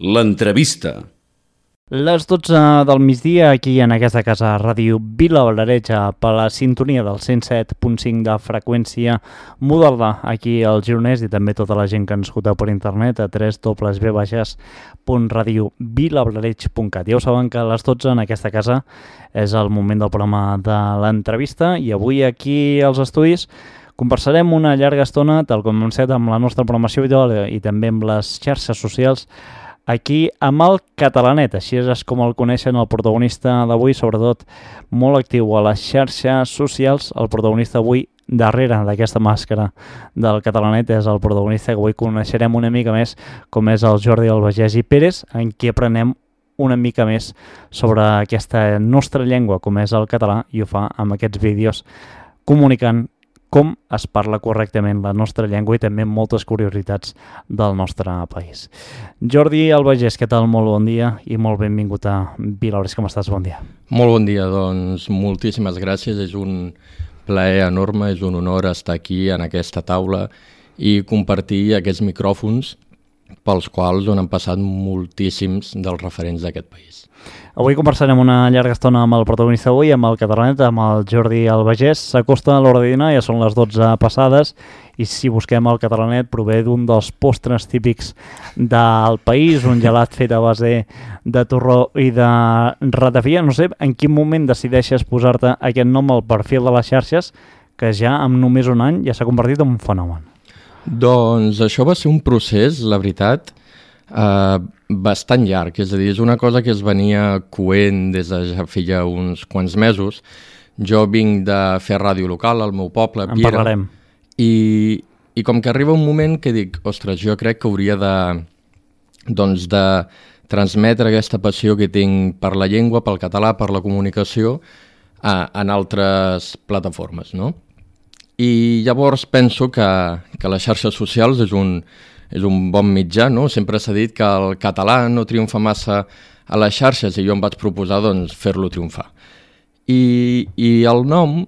L'entrevista. Les 12 del migdia aquí en aquesta casa Ràdio Vilavalereja per la sintonia del 107.5 de freqüència modulada aquí al Gironès i també tota la gent que ens escolta per internet a www.radiovilavalereig.cat. Ja ho saben que a les 12 en aquesta casa és el moment del programa de l'entrevista i avui aquí als estudis conversarem una llarga estona, tal com hem fet amb la nostra programació habitual i també amb les xarxes socials, aquí amb el Catalanet, així és com el coneixen el protagonista d'avui, sobretot molt actiu a les xarxes socials. El protagonista avui darrere d'aquesta màscara del Catalanet és el protagonista que avui coneixerem una mica més, com és el Jordi Albagés Pérez, en qui aprenem una mica més sobre aquesta nostra llengua, com és el català, i ho fa amb aquests vídeos comunicant com es parla correctament la nostra llengua i també moltes curiositats del nostre país. Jordi Albagés, què tal? Molt bon dia i molt benvingut a Vilavalereig. Com estàs? Bon dia. Molt bon dia, doncs moltíssimes gràcies. És un plaer enorme, és un honor estar aquí en aquesta taula i compartir aquests micròfons pels quals han passat moltíssims dels referents d'aquest país. Avui conversarem una llarga estona amb el protagonista avui, amb el Catalanet, amb el Jordi Albagés. S'acosta a l'hora de dinar, ja són les 12 passades, i si busquem el Catalanet prové d'un dels postres típics del país, un gelat fet a base de torró i de ratafia. No sé en quin moment decideixes posar-te aquest nom al perfil de les xarxes, que ja amb només un any ja s'ha convertit en un fenomen. Doncs això va ser un procés, la veritat, bastant llarg, és a dir, és una cosa que es venia coent des de ja feia uns quants mesos. Jo vinc de fer ràdio local al meu poble, en Piera, parlarem. I com que arriba un moment que dic, ostres, jo crec que hauria de transmetre aquesta passió que tinc per la llengua, pel català, per la comunicació, en altres plataformes, no? I llavors penso que les xarxes socials és un bon mitjà, no? Sempre s'ha dit que el català no triomfa massa a les xarxes i jo em vaig proposar fer-lo triomfar. I el nom,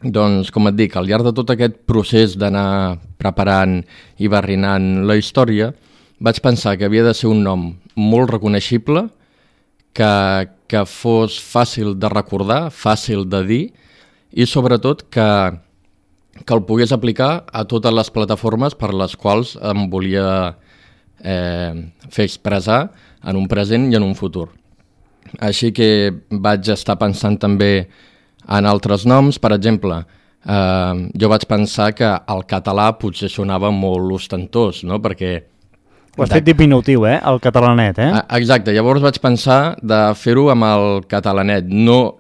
doncs, com et dic, al llarg de tot aquest procés d'anar preparant i barrinant la història, vaig pensar que havia de ser un nom molt reconeixible, que fos fàcil de recordar, fàcil de dir i sobretot que el pogués aplicar a totes les plataformes per les quals em volia fer expressar en un present i en un futur. Així que vaig estar pensant també en altres noms. Per exemple, jo vaig pensar que el català potser sonava molt ostentós, no? Perquè ho has fet diminutiu, el Catalanet, Exacte, llavors vaig pensar de fer-ho amb el Catalanet, no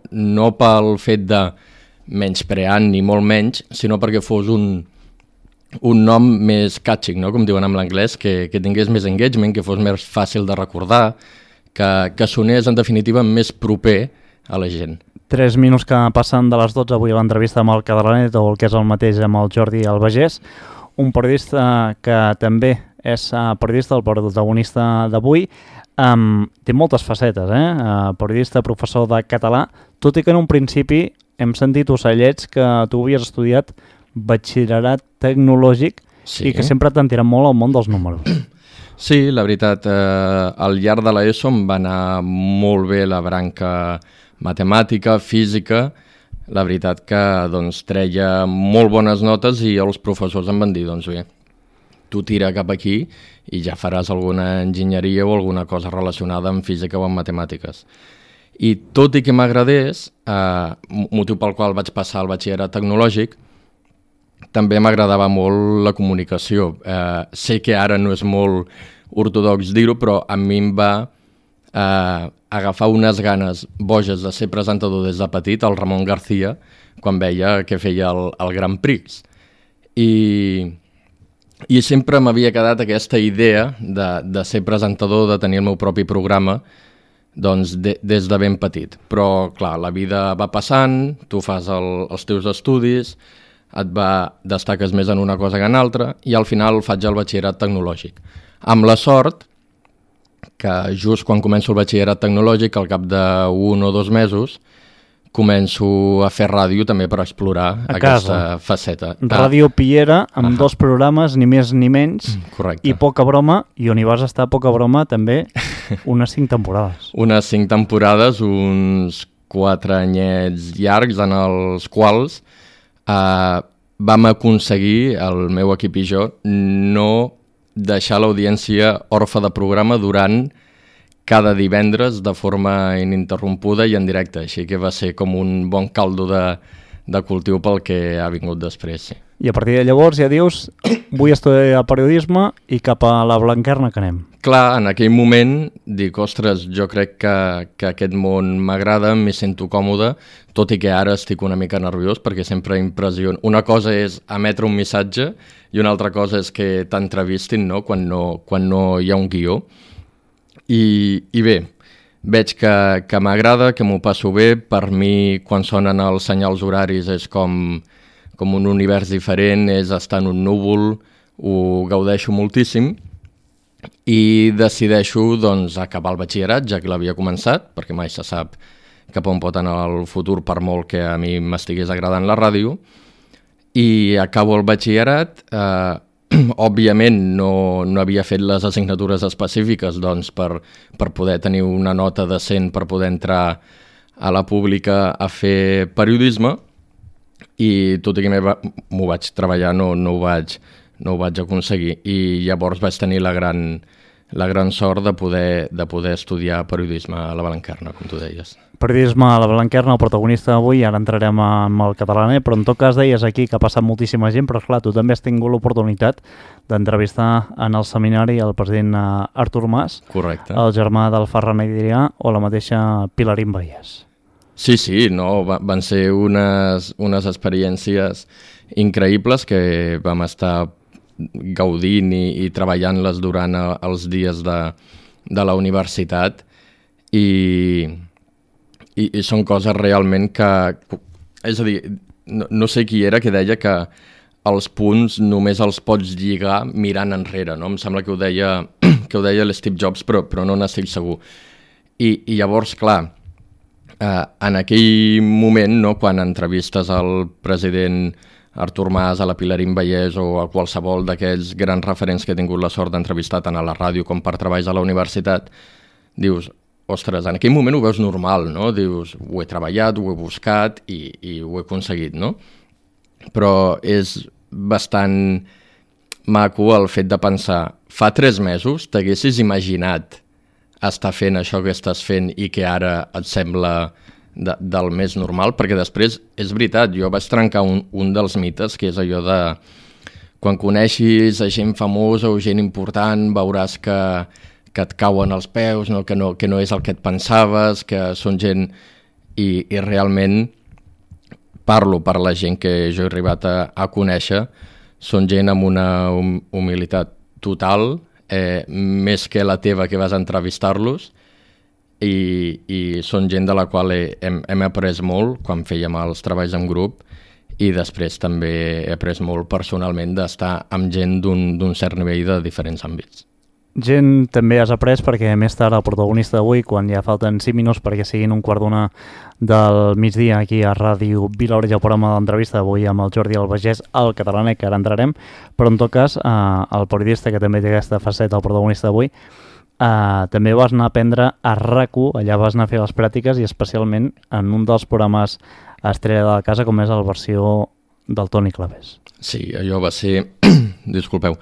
pel fet de menyspreant ni molt menys, sinó perquè fos un nom més catchy, no? Com diuen en l'anglès, que tingués més engagement, que fos més fàcil de recordar, que sonés en definitiva més proper a la gent. 3 minuts que passen de les 12 avui a l'entrevista amb el Catalanet, o el que és el mateix amb el Jordi Albagés, un periodista que també és periodista, el protagonista d'avui. Té moltes facetes, periodista, professor de català, tot i que en un principi hem sentit ocellets que tu havies estudiat batxillerat tecnològic, sí, i que sempre t'han tirat molt al món dels números. Sí, la veritat, al llarg de l'ESO em va anar molt bé la branca matemàtica, física. La veritat que treia molt bones notes i els professors em van dir, doncs bé, tu tira cap aquí i ja faràs alguna enginyeria o alguna cosa relacionada amb física o amb matemàtiques. I tot i que m'agradés, motiu pel qual vaig passar al batxillerat tecnològic, també m'agradava molt la comunicació. Sé que ara no és molt ortodox dir-ho, però a mi em va agafar unes ganes boges de ser presentador des de petit, el Ramon García, quan veia que feia el Grand Prix. I sempre m'havia quedat aquesta idea de ser presentador, de tenir el meu propi programa, doncs des de ben petit. Però, clar, la vida va passant, tu fas els teus estudis, destaques més en una cosa que en altra, i al final faig el batxillerat tecnològic. Amb la sort que just quan començo el batxillerat tecnològic, al cap d'1 o 2 mesos, començo a fer ràdio també per explorar aquesta faceta. Ràdio Piera, amb 2 programes, ni més ni menys, correcte. I Poca Broma, i on hi vas estar Poca Broma també unes 5 temporades. Unes 5 temporades, uns 4 anyets llargs en els quals vam aconseguir, el meu equip i jo, no deixar l'audiència orfa de programa durant cada divendres de forma ininterrompuda i en directe, així que va ser com un bon caldo de cultiu pel que ha vingut després. Sí. I a partir de llavors ja dius, vull estudiar periodisme i cap a la Blanquerna que anem. Clar, en aquell moment dic, ostres, jo crec que aquest món m'agrada, m'hi sento còmode, tot i que ara estic una mica nerviós perquè sempre impressiona. Una cosa és emetre un missatge i una altra cosa és que t'entrevistin, no? Quan no hi ha un guió. I bé, veig que m'agrada, que m'ho passo bé. Per mi, quan sonen els senyals horaris, és com un univers diferent, és estar en un núvol, ho gaudeixo moltíssim i decideixo doncs, acabar el batxillerat, ja que l'havia començat, perquè mai se sap cap on pot anar el futur per molt que a mi m'estigués agradant la ràdio, i acabo el batxillerat. Òbviament no havia fet les assignatures específiques doncs, per poder tenir una nota decent per poder entrar a la pública a fer periodisme, i tot i que m'ho vaig treballar no ho vaig aconseguir, i llavors vaig tenir la gran sort de poder estudiar periodisme a la Blanquerna, com tu deies. Periodisme a la Blanquerna, el protagonista d'avui, ara entrarem amb el catalaner, però en tot cas deies aquí que ha passat moltíssima gent, però clar, tu també has tingut l'oportunitat d'entrevistar en el seminari el president Artur Mas, correcte, el germà del Ferran Adrià o la mateixa Pilarín Vallès. Sí, no, van ser unes experiències increïbles que vam estar gaudint i treballant-les durant els dies de la universitat, i són coses realment que... És a dir, no sé qui era que deia que els punts només els pots lligar mirant enrere, no? Em sembla que ho deia l'Steve Jobs, però no n'estic segur. I llavors, clar, en aquell moment, no, quan entrevistes al president Artur Mas, a la Pilarín Vallès o a qualsevol d'aquells grans referents que he tingut la sort d'entrevistar tant a la ràdio com per treballs a la universitat, dius, ostres, en aquell moment ho veus normal, no? Dius, ho he treballat, ho he buscat i ho he aconseguit, no? Però és bastant maco el fet de pensar, fa 3 mesos t'haguessis imaginat estar fent això que estàs fent i que ara et sembla del més normal, perquè després, és veritat, jo vaig trencar un dels mites, que és allò de quan coneixis a gent famosa o gent important, veuràs que et cauen els peus, no? Que no és el que et pensaves, que són gent... I realment parlo per la gent que jo he arribat a conèixer, són gent amb una humilitat total, més que la teva que vas entrevistar-los, i són gent de la qual hem après molt quan fèiem els treballs en grup, i després també he après molt personalment d'estar amb gent d'un cert nivell de diferents àmbits. Gent també has après perquè més tard el protagonista d'avui, quan ja falten 5 minuts perquè siguin 1:15 del migdia aquí a Ràdio Vila-Oreja, el programa d'entrevista d'avui amb el Jordi Albagés, el catalaner, que ara entrarem, però en tot cas el periodista que també té aquesta faceta, el protagonista d'avui, també vas anar a aprendre a RAC1, allà vas anar a fer les pràctiques i especialment en un dels programes estrella de la casa com és la versió del Toni Clavés. Sí, allò va ser... Disculpeu.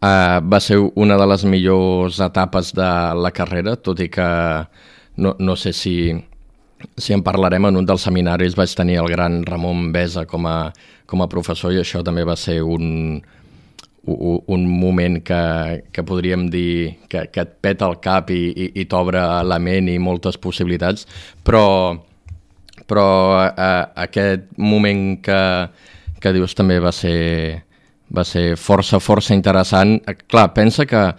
Va ser una de les millors etapes de la carrera, tot i que no sé si en parlarem. En un dels seminaris vaig tenir el gran Ramon Besa com a professor, i això també va ser un moment que podríem dir que et peta el cap i t'obre la ment i moltes possibilitats, però aquest moment que dius també va ser força interessant. Clar, pensa que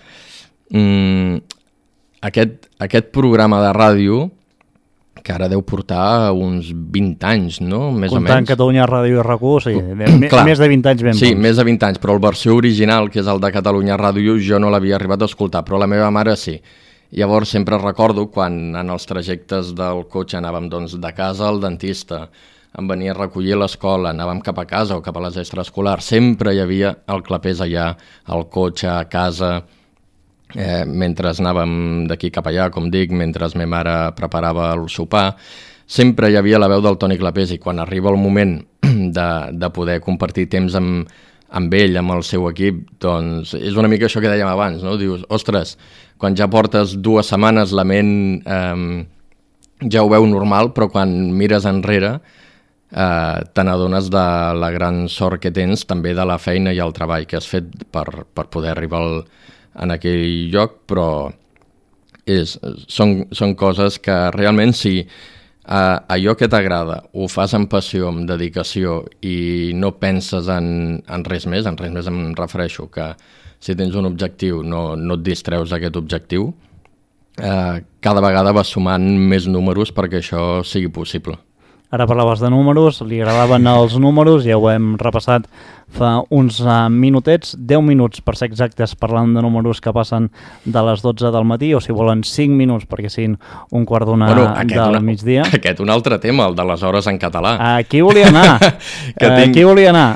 aquest programa de ràdio, que ara deu portar uns 20 anys, no? Més o menys. Comptant Catalunya Ràdio i RAC1, sí, més de 20 anys ben bons. Sí, més de 20 anys, però la versió original, que és el de Catalunya Ràdio, jo no l'havia arribat a escoltar, però la meva mare sí. Llavors sempre recordo quan en els trajectes del cotxe anàvem doncs, de casa al dentista, em venia a recollir a l'escola, anàvem cap a casa o cap a les extraescolars, sempre hi havia el clapés allà, al cotxe, a casa, mentre anàvem d'aquí cap allà, com dic, mentre ma mare preparava el sopar, sempre hi havia la veu del Toni Clapés i quan arriba el moment de poder compartir temps amb ell, amb el seu equip, doncs és una mica això que dèiem abans, no? Dius, ostres, quan ja portes 2 setmanes la ment ja ho veu normal, però quan mires enrere te n'adones de la gran sort que tens també de la feina i el treball que has fet per poder arribar en aquell lloc, però són coses que realment si allò que t'agrada ho fas amb passió, amb dedicació i no penses en res més em refereixo que si tens un objectiu no et distreus d'aquest objectiu, cada vegada vas sumant més números perquè això sigui possible. Ara parlaves de números, li agradaven els números, ja ho hem repassat fa uns minutets, 10 minuts per ser exactes parlant de números que passen de les 12 del matí, o si volen 5 minuts perquè siguin un quart d'una del migdia. Aquest un altre tema, el de les hores en català. Aquí volia anar, aquí volia anar,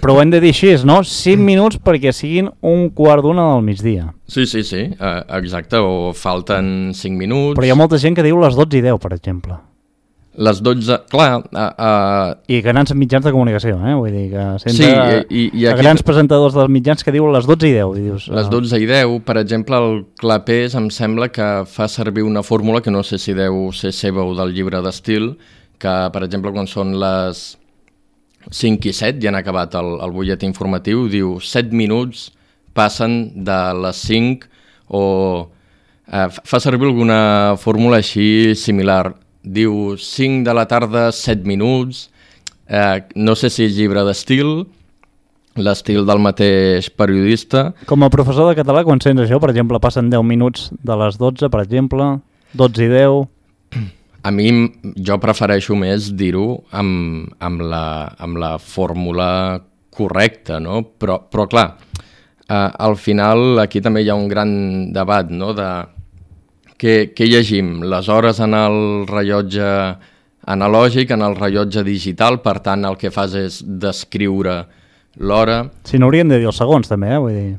però ho hem de dir així, no? 5 minuts perquè siguin un quart d'una del migdia. Sí, exacte, o falten 5 minuts... Però hi ha molta gent que diu les 12:10, per exemple. Les 12, clar... I grans mitjans de comunicació, vull dir que sempre i aquí... grans presentadors dels mitjans que diuen les 12:10. I dius, les 12:10, per exemple, el Clapés em sembla que fa servir una fórmula que no sé si deu ser seva o del llibre d'estil, que, per exemple, quan són les 5 i 7, ja han acabat el butlletí informatiu, diu 7 minuts passen de les 5 o... fa servir alguna fórmula així similar. Diu 5 de la tarda, 7 minuts, no sé si és llibre d'estil, l'estil del mateix periodista. Com a professor de català, quan sents això, per exemple, passen 10 minuts de les 12, per exemple, 12:10... A mi, jo prefereixo més dir-ho amb la fórmula correcta, no? Però clar, al final aquí també hi ha un gran debat, no?, de... Què llegim? Les hores en el rellotge analògic, en el rellotge digital, per tant el que fas és descriure l'hora. Si no hauríem de dir els segons també, vull dir.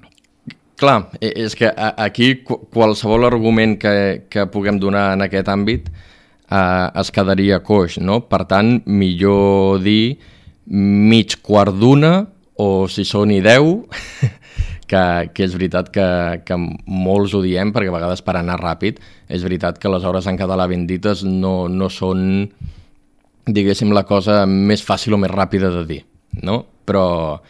Clar, és que aquí qualsevol argument que puguem donar en aquest àmbit es quedaria coix, no? Per tant, millor dir mig quart d'una o si són i 10... que és veritat que molts ho diem, perquè a vegades per anar ràpid, és veritat que les hores en català ben dites no són, diguéssim, la cosa més fàcil o més ràpida de dir, no? Però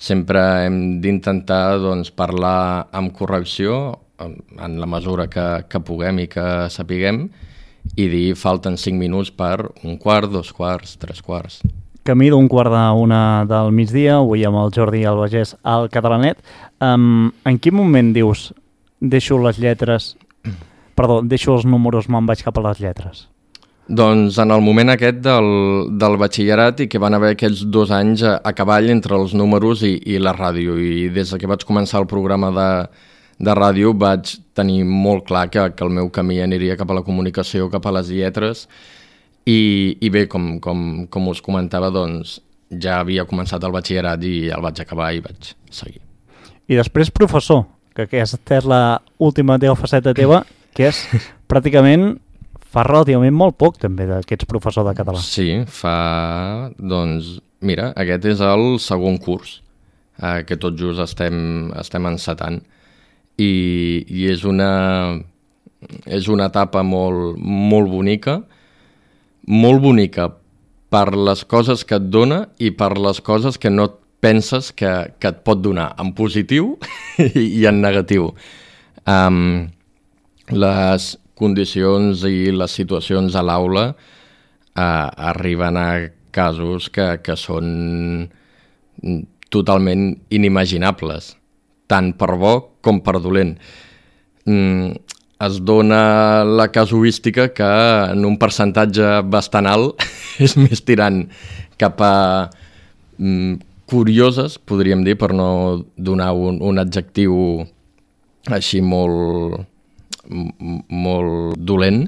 sempre hem d'intentar doncs, parlar amb correcció, en la mesura que puguem i que sapiguem, i dir falten 5 minuts per un quart, 2 quarts, 3 quarts. Camí d'un quart d'una del migdia, avui amb el Jordi Albagés al Catalanet. En quin moment dius deixo els números, me'n vaig cap a les lletres? Doncs en el moment aquest del batxillerat i que van haver aquests 2 anys a cavall entre els números i la ràdio. I des que vaig començar el programa de ràdio vaig tenir molt clar que el meu camí aniria cap a la comunicació, cap a les lletres. I bé, com us comentava, doncs ja havia començat el batxillerat i el vaig acabar i vaig seguir. I després professor, que aquesta és l'última faceta teva, que és pràcticament fa relativament molt poc també que ets professor de català. Sí, doncs mira, aquest és el segon curs que tot just estem encetant i és una etapa molt bonica, molt bonica per les coses que et dona i per les coses que no et penses que et pot donar, en positiu i en negatiu. Les condicions i les situacions a l'aula arriben a casos que són totalment inimaginables, tant per bo com per dolent. Es dona la casuística que en un percentatge bastant alt és més tirant cap a curioses, podríem dir, per no donar un adjectiu així molt molt dolent,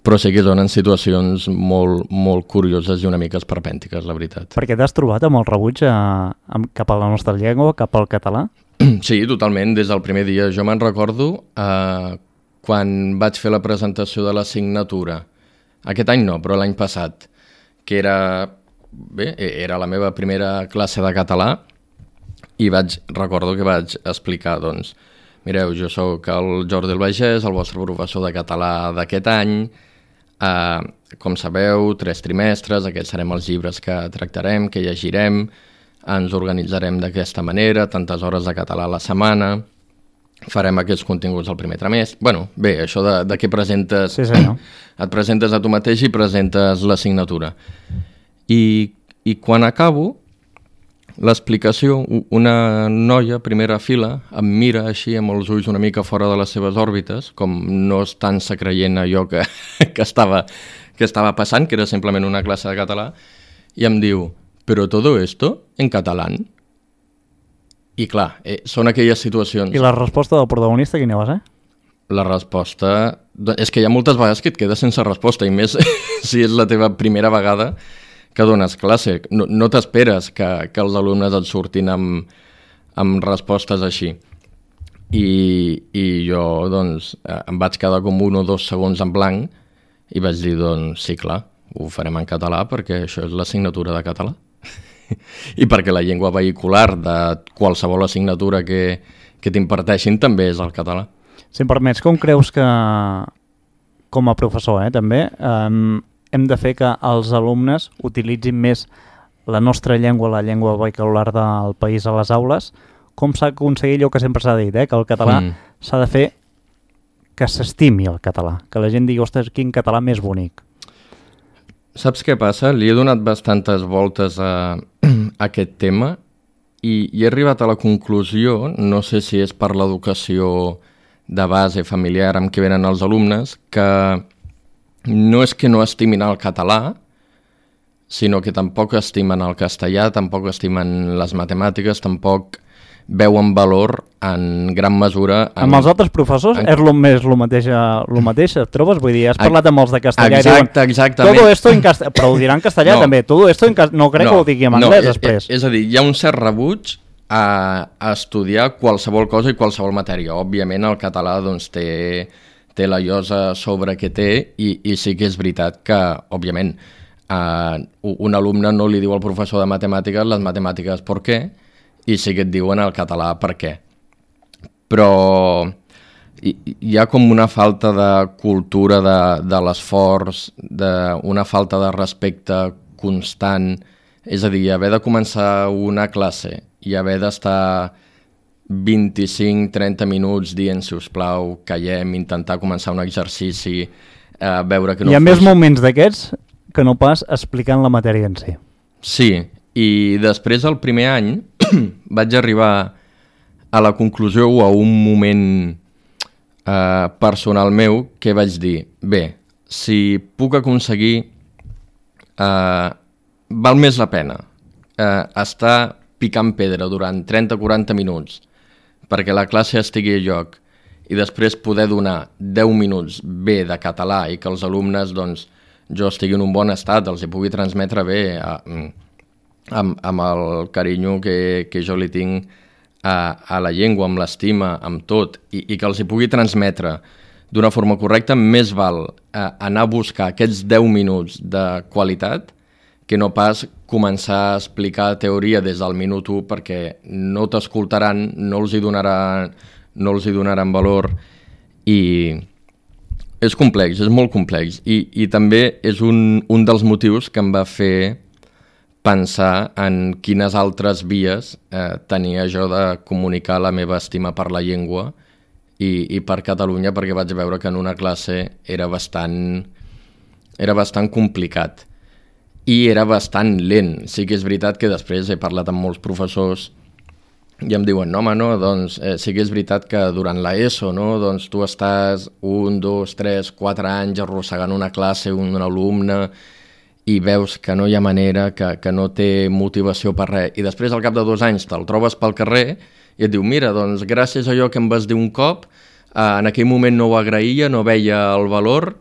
però sí que donen situacions molt curioses i una mica esperpèntiques, la veritat. Perquè t'has trobat amb el rebuig cap a la nostra llengua, cap al català? Sí, totalment, des del primer dia. Jo me'n recordo quan vaig fer la presentació de l'assignatura. Aquest any no, però l'any passat, que era la meva primera classe de català, i recordo que vaig explicar, doncs, mireu, jo sóc el Jordi el Bagès, el vostre professor de català d'aquest any, com sabeu, 3 trimestres, aquests serem els llibres que tractarem, que llegirem, ens organitzarem d'aquesta manera, tantes hores de català a la setmana, farem aquests continguts al primer trimestre. Bueno, bé, això de què presentes... Sí, senyor. Et presentes a tu mateix i presentes l'assignatura. I quan acabo l'explicació, una noia, primera fila, em mira així amb els ulls una mica fora de les seves òrbites, com no estant-se creient allò que estava passant, que era simplement una classe de català, i em diu, «Però todo esto en catalán?» I clar, són aquelles situacions... I la resposta del protagonista quina va ser? La resposta... És que hi ha moltes vegades que et quedes sense resposta, i més si és la teva primera vegada que dones classe. No t'esperes que els alumnes et surtin amb respostes així. I jo, doncs, em vaig quedar com 1 o 2 segons en blanc i vaig dir, doncs, sí, clar, ho farem en català perquè això és l'assignatura de català. I perquè la llengua vehicular de qualsevol assignatura que t'imparteixin també és el català. Si em permets, com creus que, com a professor, també, hem de fer que els alumnes utilitzin més la nostra llengua, la llengua vehicular del país a les aules? Com s'ha aconseguit allò que sempre s'ha dit, que el català s'ha de fer que s'estimi el català, que la gent digui, ostres, quin català més bonic. Saps què passa? Li he donat bastantes voltes a aquest tema i he arribat a la conclusió, no sé si és per l'educació de base familiar amb què venen els alumnes, que no és que no estimin el català, sinó que tampoc estimen el castellà, tampoc estimen les matemàtiques, tampoc veuen valor en gran mesura... Amb els altres professors és el mateix, et trobes? Vull dir, has parlat amb els de castellà i diuen... Exactament. Todo esto en castellà, però ho diran en castellà també. Todo esto en castellà, no crec que ho digui en anglès després. És a dir, hi ha un cert rebuig a estudiar qualsevol cosa i qualsevol matèria. Òbviament el català doncs, té la llosa sobre que té i sí que és veritat que, òbviament, un alumne no li diu al professor de matemàtiques les matemàtiques per què, i sí que et diuen el català per què. Però hi ha com una falta de cultura de l'esforç, una falta de respecte constant, és a dir, haver de començar una classe i haver d'estar 25-30 minuts dient, si us plau, callem, intentar començar un exercici, veure que no... Hi ha més moments d'aquests que no pas explicant la matèria en si. Sí, i després, el primer any, vaig arribar a la conclusió o a un moment personal meu que vaig dir, bé, si puc aconseguir, val més la pena estar picant pedra durant 30-40 minuts perquè la classe estigui a lloc i després poder donar 10 minuts bé de català i que els alumnes, doncs, jo estigui en un bon estat, els hi pugui transmetre bé amb el carinyo que jo li tinc a la llengua, amb l'estima, amb tot, i que els hi pugui transmetre d'una forma correcta, més val anar a buscar aquests 10 minuts de qualitat que no pas començar a explicar teoria des del minut 1 perquè no t'escoltaran, no els hi donaran valor i és complex, és molt complex i també és un dels motius que em va fer pensar en quines altres vies tenia jo de comunicar la meva estima per la llengua i per Catalunya, perquè vaig veure que en una classe era bastant complicat i era bastant lent. Sí que és veritat que després he parlat amb molts professors i em diuen, no home, no, doncs sí que és veritat que durant l'ESO, no, doncs tu estàs 1, 2, 3, 4 anys arrossegant una classe, un alumne, i veus que no hi ha manera, que no té motivació per res, i després al cap de 2 anys te'l trobes pel carrer i et diu, mira, doncs gràcies a allò que em vas dir un cop, en aquell moment no ho agraïa, no veia el valor,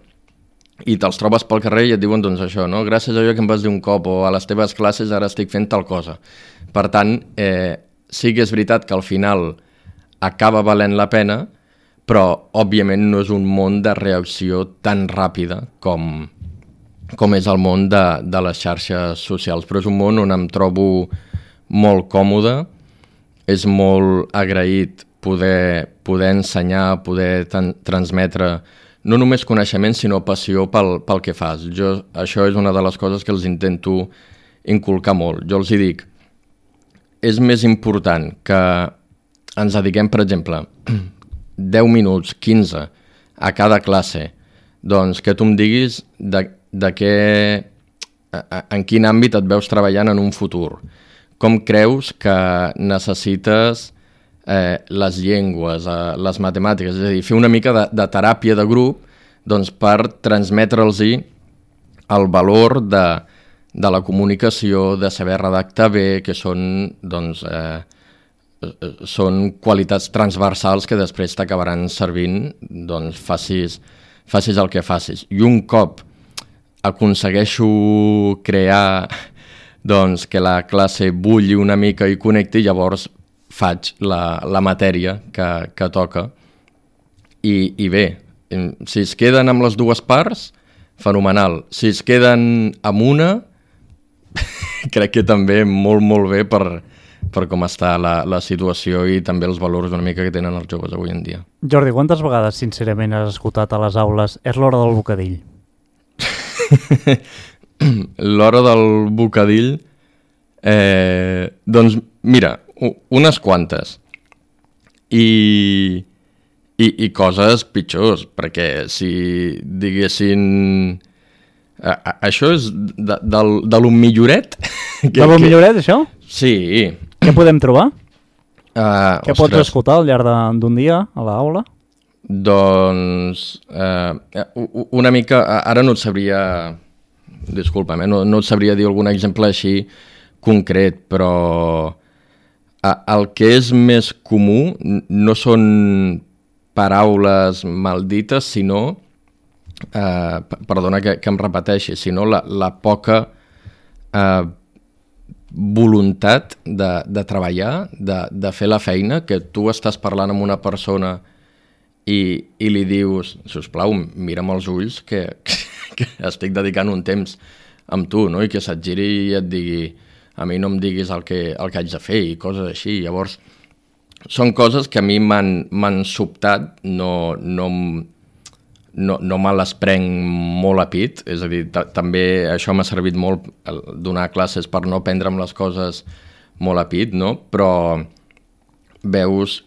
i te'ls trobes pel carrer i et diuen doncs això, no? Gràcies a allò que em vas dir un cop, o a les teves classes ara estic fent tal cosa. Per tant, sí que és veritat que al final acaba valent la pena, però òbviament no és un món de reacció tan ràpida com és el món de les xarxes socials, però és un món on em trobo molt còmode, és molt agraït poder ensenyar, poder transmetre no només coneixement, sinó passió pel que fas. Això és una de les coses que els intento inculcar molt. Jo els hi dic, és més important que ens dediquem, per exemple, 10 minuts, 15 a cada classe, doncs que tu em diguis en quin àmbit et veus treballant en un futur. Com creus que necessites les llengües, les matemàtiques, és a dir, fer una mica de teràpia de grup doncs, per transmetre'ls-hi el valor de la comunicació, de saber redactar bé, que són, doncs, són qualitats transversals que després t'acabaran servint, doncs, facis el que facis. I un cop aconsegueixo crear doncs, que la classe bulli una mica i connecti, llavors faig la matèria que toca. I bé, si es queden amb les dues parts, fenomenal. Si es queden amb una, crec que també molt, molt bé per com està la situació i també els valors una mica que tenen els joves avui en dia. Jordi, quantes vegades, sincerament, has escoltat a les aules és l'hora del bocadill? L'hora del bocadill, doncs mira, unes quantes i coses pitjors, perquè si diguessin això és de lo milloret. De lo milloret, això? Sí. Què podem trobar? Què pots escoltar al llarg d'un dia a l'aula? Doncs una mica, ara no et sabria, disculpa'm, no et sabria dir algun exemple així concret, però el que és més comú no són paraules maldites, sinó, perdona que em repeteixi, sinó la poca voluntat de treballar, de fer la feina, que tu estàs parlant amb una persona i li dius, sisplau, mira'm els ulls, que estic dedicant un temps amb tu, no? I que se't giri i et digui, a mi no em diguis el que haig de fer i coses així. Llavors, són coses que a mi m'han sobtat, no me les prenc molt a pit, és a dir, també això m'ha servit molt donar classes per no prendre'm les coses molt a pit, no? Però veus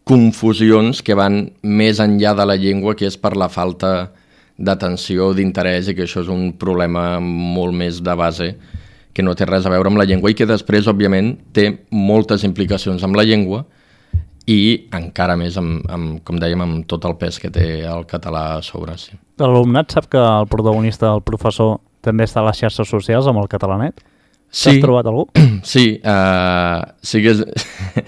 confusions que van més enllà de la llengua, que és per la falta d'atenció, d'interès, i que això és un problema molt més de base, que no té res a veure amb la llengua i que després, òbviament, té moltes implicacions amb la llengua i encara més, com dèiem, amb tot el pes que té el català a sobre. Sí. L'alumnat sap que el protagonista, el professor, també està a les xarxes socials amb el Catalanet? Sí. T'has trobat algú? Sí, sí que és...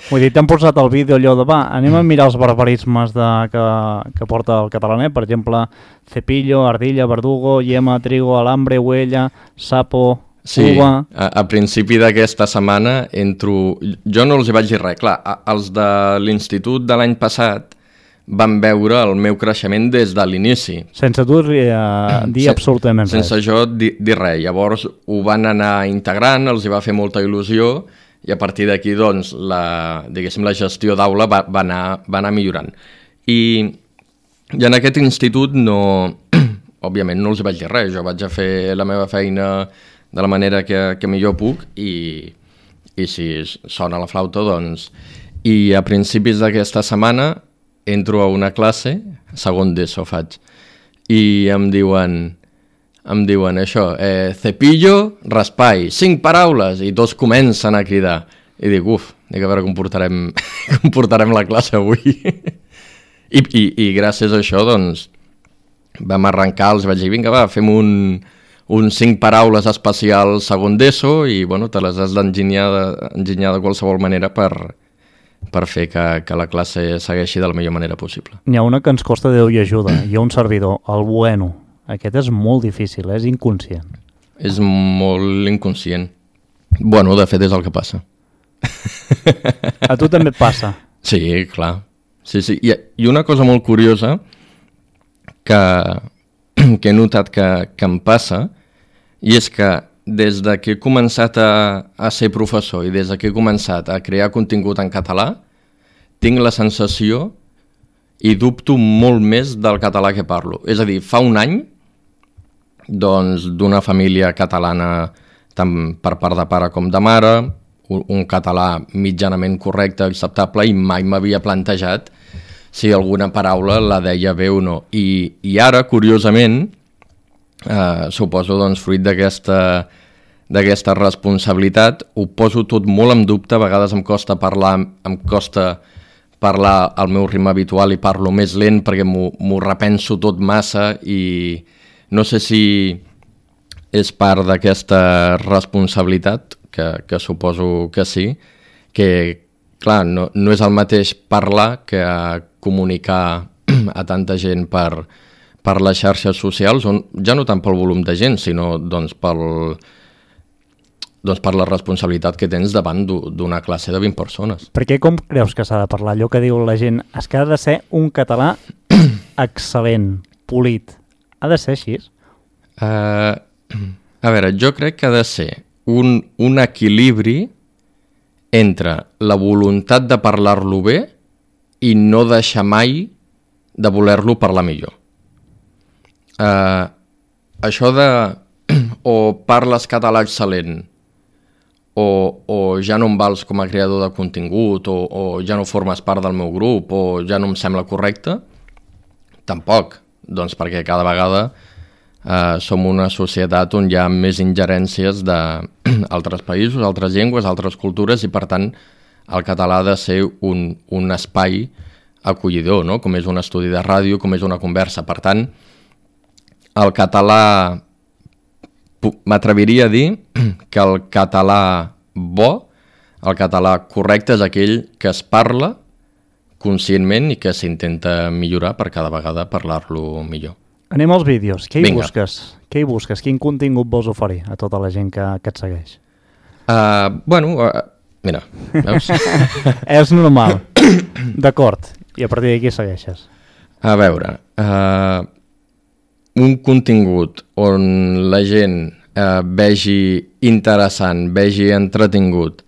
Vull dir, t'han posat el vídeo allò de, anem a mirar els barbarismes que porta el Catalanet, per exemple, cepillo, ardilla, verdugo, yema, trigo, alambre, huella, sapo... Sí, a principi d'aquesta setmana entro... Jo no els hi vaig dir res, clar, els de l'institut de l'any passat van veure el meu creixement des de l'inici. Sense tu dir absolutament res. Sense jo dir res. Llavors ho van anar integrant, els hi va fer molta il·lusió i a partir d'aquí, doncs, la gestió d'aula va anar millorant. I en aquest institut òbviament no els hi vaig dir res, jo vaig a fer la meva feina de la manera que millor puc i si sona la flauta, doncs... I a principis d'aquesta setmana entro a una classe, segon d'ESO faig, i em diuen això, cepillo, raspall, 5 paraules, i tots comencen a cridar. I dic, a veure com portarem la classe avui. I gràcies a això, doncs, vam arrencar, els vaig dir, vinga, va, fem un 5 paraules especials segon d'ESO i, bueno, te les has d'enginyar de qualsevol manera per per fer que la classe segueixi de la millor manera possible. N'hi ha una que ens costa Déu i ajuda. Hi ha un servidor, el Bueno. Aquest és molt difícil, és inconscient. És molt inconscient. Bueno, de fet és el que passa. A tu també et passa? Sí, clar. Sí. I una cosa molt curiosa que he notat que em passa, i és que des de que he començat a ser professor i des de que he començat a crear contingut en català, tinc la sensació i dubto molt més del català que parlo. És a dir, fa un any, doncs, d'una família catalana tant per part de pare com de mare, un català mitjanament correcte, acceptable, i mai m'havia plantejat si alguna paraula la deia bé o no. I ara, curiosament, suposo, doncs, fruit d'aquesta responsabilitat, ho poso tot molt en dubte. A vegades em costa parlar al meu ritme habitual i parlo més lent perquè m'ho repenso tot massa, i no sé si és part d'aquesta responsabilitat, que suposo que sí, que clar, no és el mateix parlar que comunicar a tanta gent per les xarxes socials, on ja no tant pel volum de gent, sinó doncs per la responsabilitat que tens davant d'una classe de 20 persones. Per què com creus que s'ha de parlar? Allò que diu la gent, és que ha de ser un català excel·lent, polit. Ha de ser així? A veure, jo crec que ha de ser un equilibri entre la voluntat de parlar-lo bé i no deixar mai de voler-lo parlar millor. Això de o parles català excel·lent o ja no em vals com a creador de contingut o ja no formes part del meu grup o ja no em sembla correcte, tampoc, doncs perquè cada vegada som una societat on hi ha més ingerències d'altres països, altres llengües, altres cultures, i per tant el català ha de ser un espai acollidor, no? Com és un estudi de ràdio, com és una conversa. Per tant, el català, m'atreviria a dir que el català bo, el català correcte, és aquell que es parla conscientment i que s'intenta millorar per cada vegada parlar-lo millor. Anem als vídeos. Què hi Vinga. busques? Què hi busques? Quin contingut vols oferir a tota la gent que et segueix? Mira, veus? És normal. D'acord. I a partir d'aquí segueixes. A veure, un contingut on la gent vegi interessant, vegi entretingut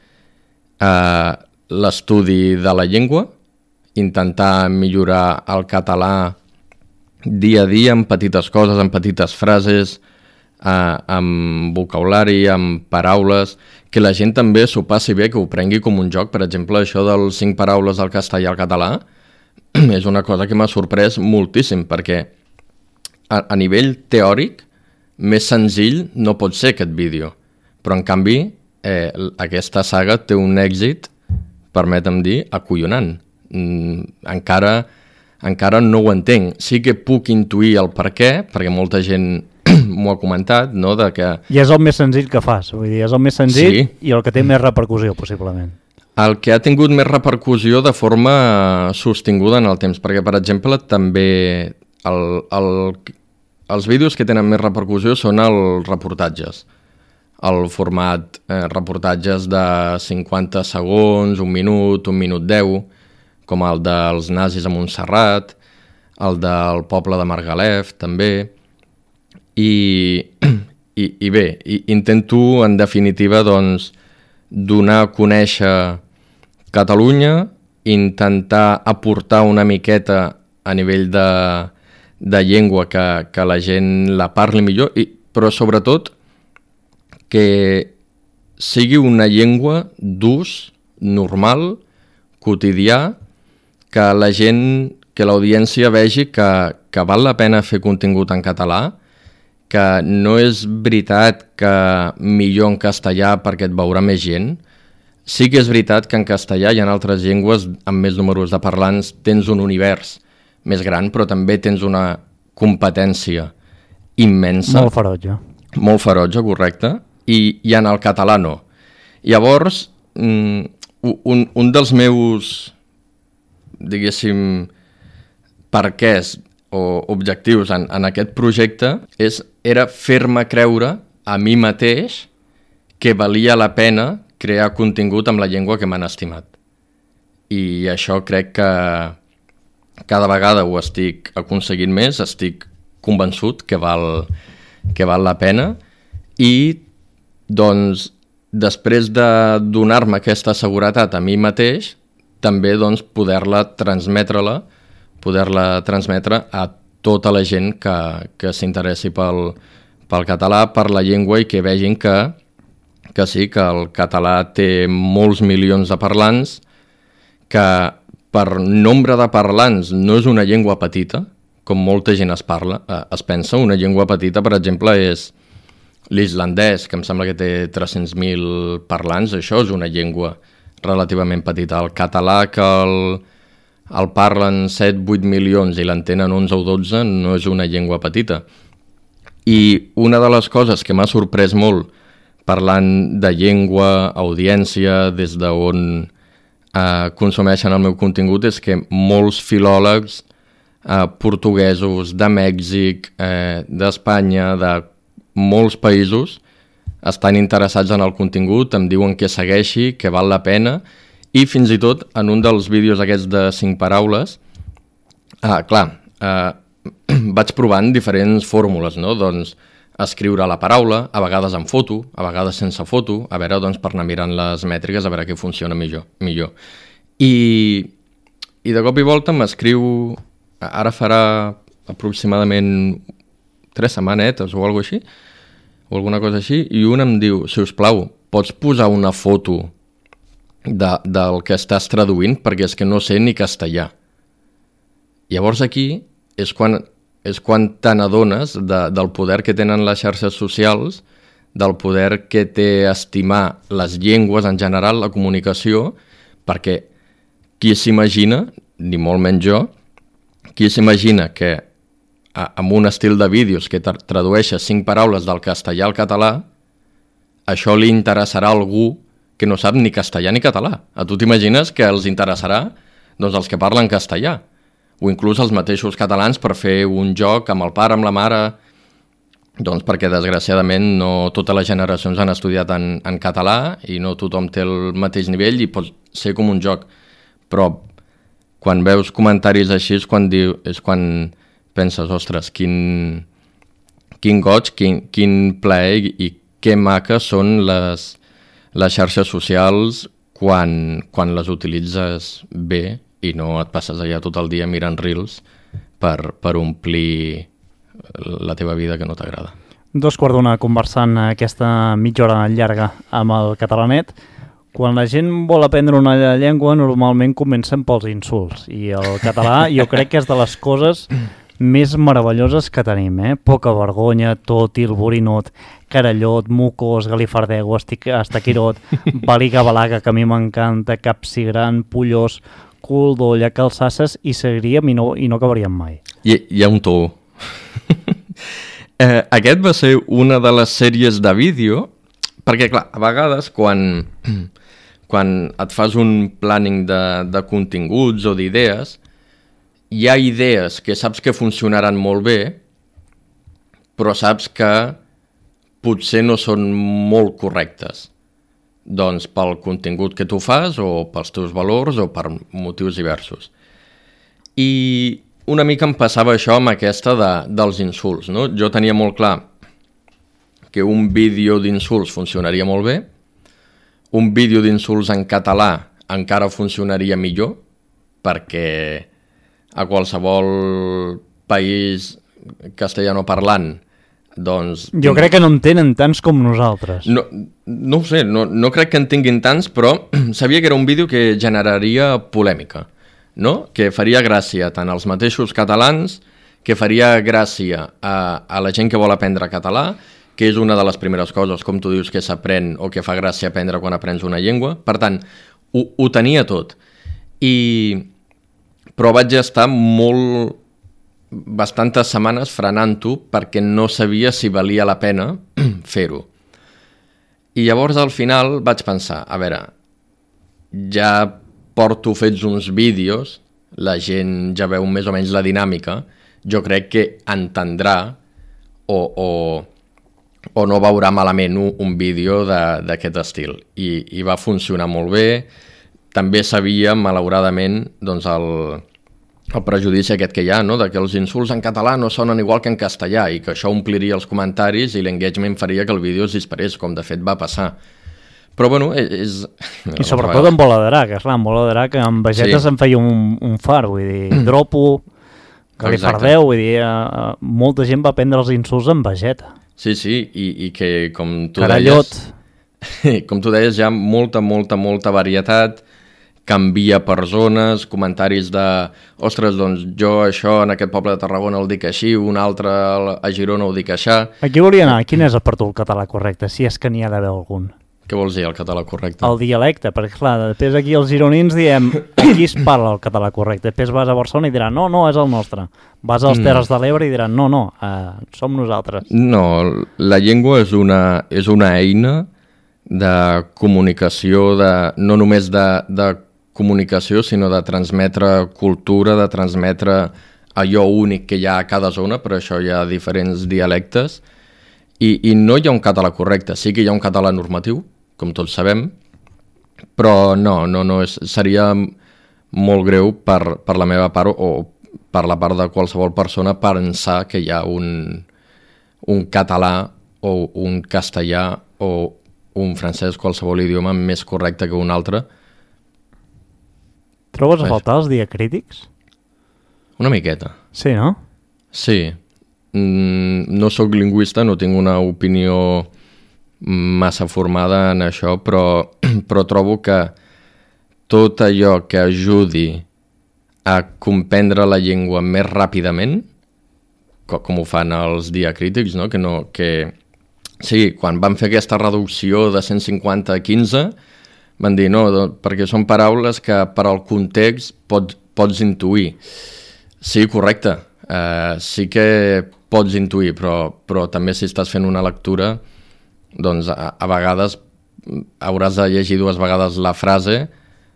l'estudi de la llengua, intentar millorar el català dia a dia amb petites coses, amb petites frases, amb vocabulari, amb paraules, que la gent també s'ho passi bé, que ho prengui com un joc. Per exemple, això dels 5 paraules del castellà al català és una cosa que m'ha sorprès moltíssim, perquè a nivell teòric més senzill no pot ser aquest vídeo, però en canvi aquesta saga té un èxit, permetem dir, acollonant. Encara no ho entenc. Sí que puc intuir el per què, perquè molta gent m'ho ha comentat, no? De que... I és el més senzill que fas, vull dir, és el més senzill, sí. I el que té més repercussió, possiblement. El que ha tingut més repercussió de forma sostinguda en el temps, perquè, per exemple, també els vídeos que tenen més repercussió són els reportatges. El format reportatges de 50 segons, 1 minut 10, com el dels nazis a Montserrat, el del poble de Margalef, també. I bé, intento, en definitiva, doncs, donar a conèixer Catalunya, intentar aportar una miqueta a nivell de llengua que la gent la parli millor, però sobretot que sigui una llengua d'ús normal, quotidià, que la gent, que l'audiència vegi que val la pena fer contingut en català, que no és veritat que millor en castellà perquè et veurà més gent. Sí que és veritat que en castellà i en altres llengües amb més números de parlants tens un univers més gran, però també tens una competència immensa. Molt ferotge. Molt ferotge, correcte, i en el català no. Llavors, un dels meus, diguéssim, perquès o objectius en aquest projecte era fer-me creure a mi mateix que valia la pena crear contingut amb la llengua que m'han estimat. I això crec que cada vegada ho estic aconseguint més, estic convençut que val la pena i doncs després de donar-me aquesta seguretat a mi mateix també doncs poder-la transmetre a tota la gent que s'interessi pel català, per la llengua i que vegin que sí, que el català té molts milions de parlants, que per nombre de parlants no és una llengua petita, com molta gent es pensa. Una llengua petita, per exemple, és l'islandès, que em sembla que té 300.000 parlants. Això és una llengua relativament petita. El català, que el parlen 7-8 milions i l'entenen 11 o 12, no és una llengua petita. I una de les coses que m'ha sorprès molt parlant de llengua, audiència, des d'on consumeixen el meu contingut, és que molts filòlegs portuguesos, de Mèxic, d'Espanya, de molts països, estan interessats en el contingut, em diuen que segueixi, que val la pena, i fins i tot en un dels vídeos aquests de 5 paraules, vaig provant diferents fórmules, no? Doncs escriure la paraula, a vegades amb foto, a vegades sense foto, a veure, doncs, per anar mirant les mètriques, a veure què funciona millor. I de cop i volta m'escriu, ara farà aproximadament 3 setmanetes o alguna cosa així, i un em diu, si us plau, pots posar una foto del que estàs traduint, perquè és que no sé ni castellà. Llavors aquí és quan te n'adones del poder que tenen les xarxes socials, del poder que té estimar les llengües en general, la comunicació, perquè qui s'imagina, ni molt menys jo, qui s'imagina que amb un estil de vídeos que tradueixes 5 paraules del castellà al català, això li interessarà a algú que no sap ni castellà ni català. A tu t'imagines que els interessarà doncs, els que parlen castellà, o inclús els mateixos catalans per fer un joc amb el pare, amb la mare, doncs perquè desgraciadament no totes les generacions han estudiat en català i no tothom té el mateix nivell i pot ser com un joc. Però quan veus comentaris així és quan penses, ostres, quin goig, quin plaer i que maques són les xarxes socials quan les utilitzes bé i no et passes allà tot el dia mirant reels per omplir la teva vida que no t'agrada. 2:15 conversant aquesta mitja hora llarga amb el catalanet. Quan la gent vol aprendre una llengua normalment comencen pels insults i el català jo crec que és de les coses més meravelloses que tenim, Poca vergonya, tòtil, borinot, carallot, mucós, galifardego, estaquirot, baliga balaga, que a mi m'encanta, capsigran, pollós, cul d'olla, calçasses, i seguiríem i no acabaríem mai. Hi ha un to. Aquest va ser una de les sèries de vídeo, perquè clar, a vegades quan et fas un planning de continguts o d'idees, hi ha idees que saps que funcionaran molt bé, però saps que potser no són molt correctes. Doncs pel contingut que tu fas, o pels teus valors, o per motius diversos. I una mica em passava això amb aquesta dels insults, no? Jo tenia molt clar que un vídeo d'insults funcionaria molt bé, un vídeo d'insults en català encara funcionaria millor, perquè a qualsevol país castellanoparlant, doncs... Jo crec que no en tenen tants com nosaltres. No ho sé, no crec que en tinguin tants, però sabia que era un vídeo que generaria polèmica, no? Que faria gràcia tant als mateixos catalans, que faria gràcia a la gent que vol aprendre català, que és una de les primeres coses, com tu dius, que s'aprèn o que fa gràcia aprendre quan aprens una llengua. Per tant, ho tenia tot. Però vaig estar bastantes setmanes frenant-ho perquè no sabia si valia la pena fer-ho. I llavors al final vaig pensar, a veure, ja porto fets uns vídeos, la gent ja veu més o menys la dinàmica, jo crec que entendrà o no veurà malament un vídeo d'aquest estil. I va funcionar molt bé. També sabia, malauradament, doncs el prejudici aquest que hi ha, no? De que els insults en català no sonen igual que en castellà i que això ompliria els comentaris i l'engagement faria que el vídeo es disparés, com de fet va passar. Però bueno, és... I sobretot en Bola d'Arac, esclar, en Bola d'Arac amb Vegetes em feia un far, vull dir, dropo, que li fardeu, vull dir, molta gent va prendre els insults en Vegeta. Sí, i que com tu Carallot. deies... Com tu deies, hi ha molta varietat, canvia per zones, comentaris de ostres, doncs jo això en aquest poble de Tarragona el dic així, un altre a Girona ho dic així. Aquí volia anar, quin és per tu el català correcte, si és que n'hi ha d'haver algun? Què vols dir, el català correcte? El dialecte, perquè clar, després aquí els gironins diem aquí es parla el català correcte, després vas a Barcelona i diran no, és el nostre. Vas als Terres de l'Ebre i diran no, som nosaltres. No, la llengua és una eina de comunicació, no només de comunicació, sinó de transmetre cultura, de transmetre allò únic que hi ha a cada zona, per això hi ha diferents dialectes, i no hi ha un català correcte, sí que hi ha un català normatiu, com tots sabem, però no seria molt greu per la meva part o per la part de qualsevol persona pensar que hi ha un català o un castellà o un francès, qualsevol idioma més correcte que un altre. Trobes a faltar els diacrítics? Una miqueta. Sí, no? Sí. No sóc lingüista, no tinc una opinió massa formada en això, però trobo que tot allò que ajudi a comprendre la llengua més ràpidament, com ho fan els diacrítics, no? Sí, quan van fer aquesta reducció de 150 a 15, van dir no, perquè són paraules que per al context pots intuir. Sí, correcte, sí que pots intuir, però també si estàs fent una lectura, doncs a vegades hauràs de llegir dues vegades la frase,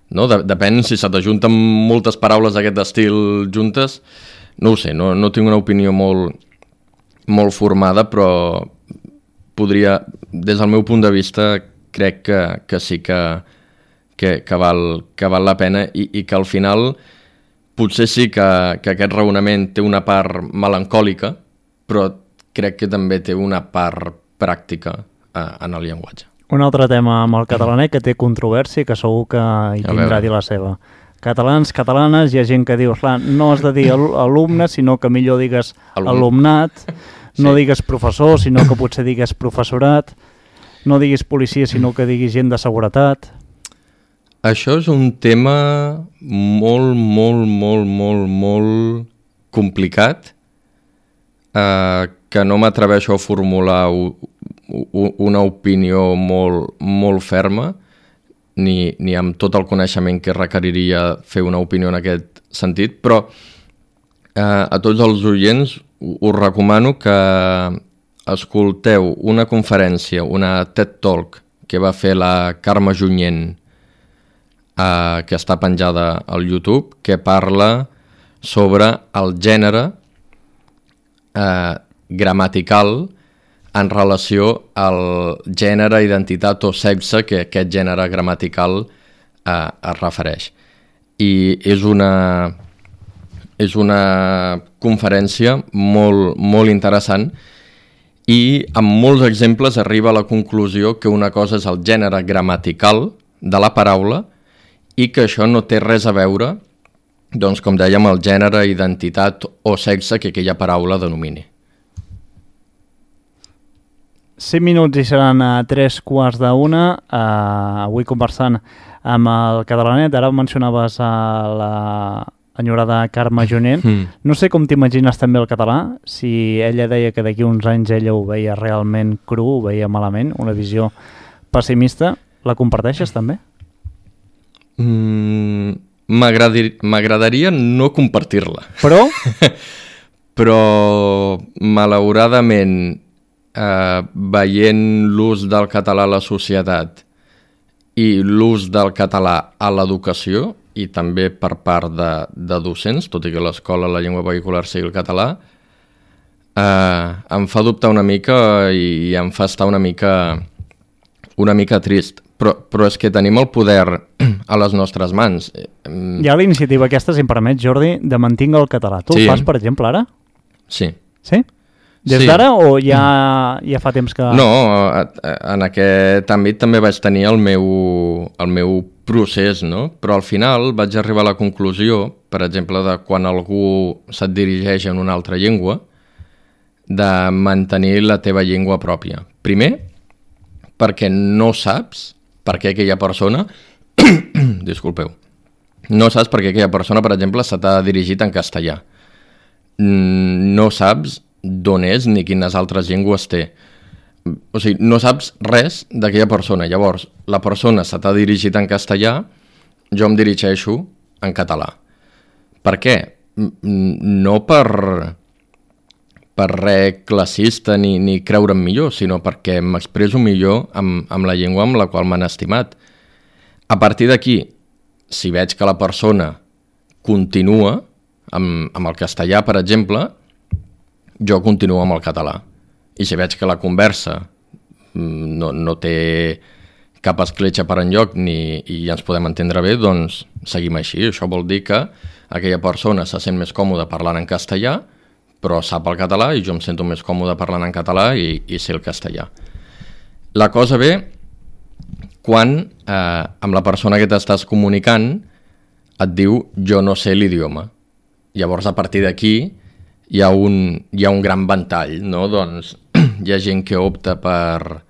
no? Depèn si se t'ajunten moltes paraules d'aquest estil juntes, no ho sé, no tinc una opinió molt formada, però podria, des del meu punt de vista, crec que sí que val la pena i que al final potser sí que aquest raonament té una part melancòlica, però crec que també té una part pràctica en el llenguatge. Un altre tema amb el catalanet que té controvèrsia, que segur que hi tindrà a dir la seva. Catalans, catalanes, hi ha gent que diu, clar, no has de dir alumne, sinó que millor digues alumnat, no digues professor, sinó que potser digues professorat, no diguis policia, sinó que diguis gent de seguretat. Això és un tema molt complicat, que no m'atreveixo a formular una opinió molt ferma, ni amb tot el coneixement que requeriria fer una opinió en aquest sentit, però a tots els oients us recomano que escolteu una conferència, una TED Talk que va fer la Carme Junyent, que està penjada al YouTube, que parla sobre el gènere gramatical en relació al gènere, identitat o sexe que aquest gènere gramatical es refereix. I és una conferència molt interessant i amb molts exemples arriba a la conclusió que una cosa és el gènere gramatical de la paraula i que això no té res a veure, doncs, com dèiem, el gènere, identitat o sexe que aquella paraula denomini. 5 minuts i seran a 3:15. Avui conversant amb el catalanet. Ara mencionaves a la enyorada Carme Junyent. No sé com t'imagines també el català, si ella deia que d'aquí uns anys ella ho veia realment cru, ho veia malament, una visió pessimista. La comparteixes també? M'agradaria no compartir-la. Però? Però, malauradament, veient l'ús del català a la societat i l'ús del català a l'educació i també per part de docents, tot i que a l'escola la llengua vehicular sigui el català, em fa dubtar una mica i em fa estar una mica trist. Però és que tenim el poder a les nostres mans. Hi ha la iniciativa aquesta, si em permet, Jordi, de mantinga el català. Tu ho fas, per exemple, ara? Sí. Sí? Des d'ara o ja fa temps que... No, en aquest àmbit també vaig tenir el meu procés, no? Però al final vaig arribar a la conclusió, per exemple, de quan algú se't dirigeix en una altra llengua, de mantenir la teva llengua pròpia. Primer, perquè no saps per què aquella persona... Disculpeu. No saps per què aquella persona, per exemple, se t'ha dirigit en castellà. No saps d'on és ni quines altres llengües té. O sigui, no saps res d'aquella persona. Llavors, la persona se t'ha dirigit en castellà, jo em dirigeixo en català. Per què? No per res classista ni creure'm millor, sinó perquè m'expreso millor amb la llengua amb la qual m'han estimat. A partir d'aquí, si veig que la persona continua amb el castellà, per exemple, jo continuo amb el català. I si veig que la conversa no té cap escletxa per enlloc i ens podem entendre bé, doncs seguim així. Això vol dir que aquella persona se sent més còmoda parlant en castellà, però sap el català i jo em sento més còmode parlant en català i sé el castellà. La cosa ve quan amb la persona que t'estàs comunicant et diu jo no sé l'idioma. Llavors a partir d'aquí hi ha un gran ventall, no? Doncs hi ha gent que opta per,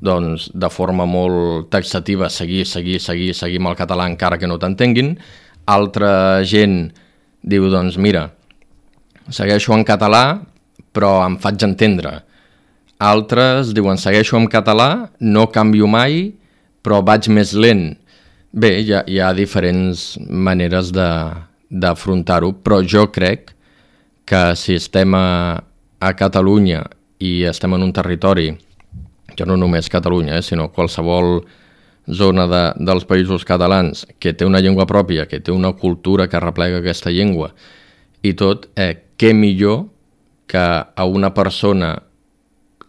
doncs, de forma molt taxativa seguir amb el català encara que no t'entenguin. Altra gent diu, doncs mira, segueixo en català però em faig entendre. Altres diuen segueixo en català, no canvio mai però vaig més lent. Bé, hi ha diferents maneres d'afrontar-ho, però jo crec que si estem a Catalunya i estem en un territori, ja no només Catalunya, sinó qualsevol zona dels països catalans que té una llengua pròpia, que té una cultura que replega aquesta llengua i tot, què millor que a una persona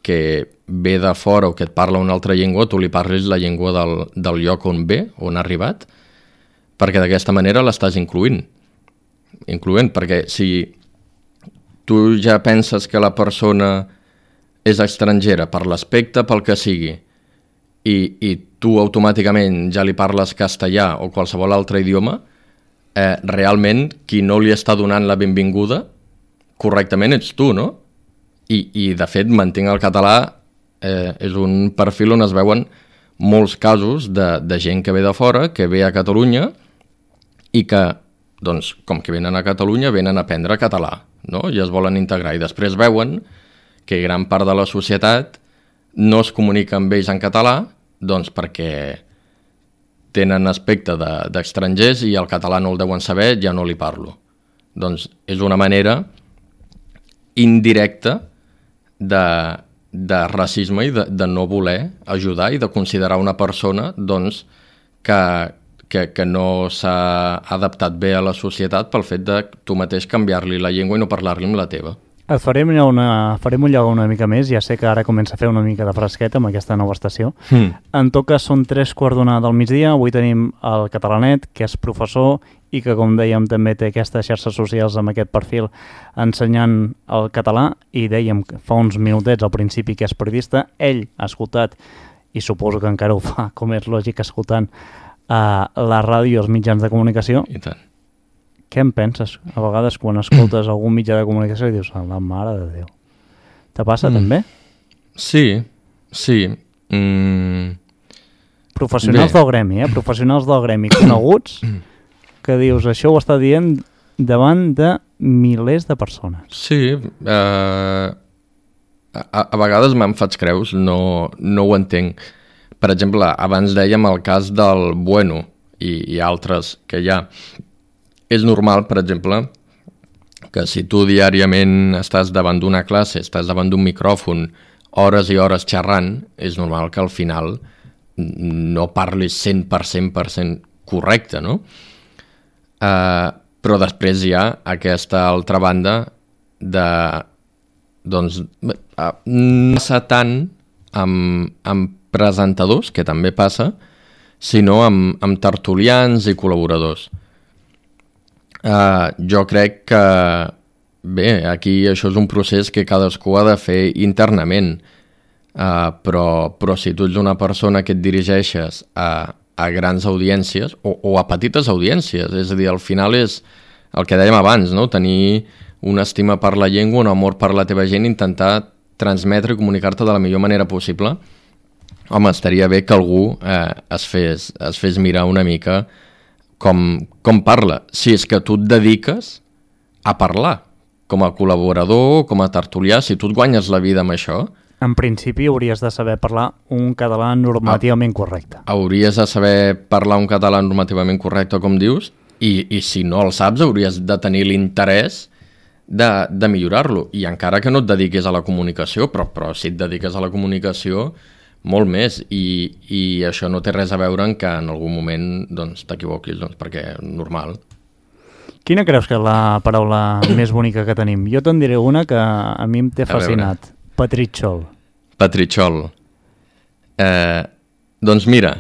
que ve de fora o que et parla una altra llengua, tu li parlis la llengua del lloc on ve, on ha arribat, perquè d'aquesta manera l'estàs incloent, perquè si tu ja penses que la persona és estrangera per l'aspecte, pel que sigui, i tu automàticament ja li parles castellà o qualsevol altre idioma, realment qui no li està donant la benvinguda correctament ets tu, no? I de fet, mantinc el català és un perfil on es veuen molts casos de gent que ve de fora, que ve a Catalunya i que, doncs, com que venen a Catalunya, venen a aprendre català, no? I es volen integrar i després veuen que gran part de la societat no es comunica amb ells en català, doncs perquè tenen aspecte d'estrangers i el català no el deuen saber, ja no li parlo. Doncs és una manera indirecta de racisme i de no voler ajudar i de considerar una persona doncs, que no s'ha adaptat bé a la societat pel fet de tu mateix canviar-li la llengua i no parlar-li amb la teva. Et farem ullar una mica més, ja sé que ara comença a fer una mica de fresqueta amb aquesta nova estació. En tot cas, són 3:15 del migdia, avui tenim el Catalanet, que és professor i que, com dèiem, també té aquestes xarxes socials amb aquest perfil ensenyant el català, i dèiem fa uns minutets al principi que és periodista. Ell ha escoltat, i suposo que encara ho fa, com és lògic, escoltant la ràdio i els mitjans de comunicació. I tant. Què en penses? A vegades quan escoltes algun mitjà de comunicació i dius, la mare de Déu. Te passa també? Sí. Professionals del gremi, professionals del gremi coneguts, que dius, això ho està dient davant de milers de persones. Sí, a vegades me'n faig creus, no ho entenc. Per exemple, abans dèiem el cas del Bueno i altres que hi ha. És normal, per exemple, que si tu diàriament estàs davant d'una classe, estàs davant d'un micròfon, hores i hores xerrant, és normal que al final no parlis 100% correcte, no? Però després hi ha aquesta altra banda de, doncs, no passa tant amb presentadors, que també passa, sinó amb tertulians i col·laboradors. Jo crec que, bé, aquí això és un procés que cadascú ha de fer internament, però si tu ets una persona que et dirigeixes a grans audiències o a petites audiències, és a dir, al final és el que dèiem abans, no? Tenir una estima per la llengua, un amor per la teva gent, intentar transmetre i comunicar-te de la millor manera possible. Home, estaria bé que algú es fes mirar una mica com parla. Si és que tu et dediques a parlar, com a col·laborador, com a tertulià, si tu et guanyes la vida amb això... En principi hauries de saber parlar un català normativament correcte. Hauries de saber parlar un català normativament correcte, com dius, i si no el saps hauries de tenir l'interès de millorar-lo. I encara que no et dediquis a la comunicació, però si et dediques a la comunicació, molt més. I això no té res a veure amb que en algun moment doncs, t'equivoquis, doncs, perquè és normal. Quina creus que és la paraula més bonica que tenim? Jo te'n diré una que a mi em té fascinat. Petritxol. Petritxol. Doncs mira,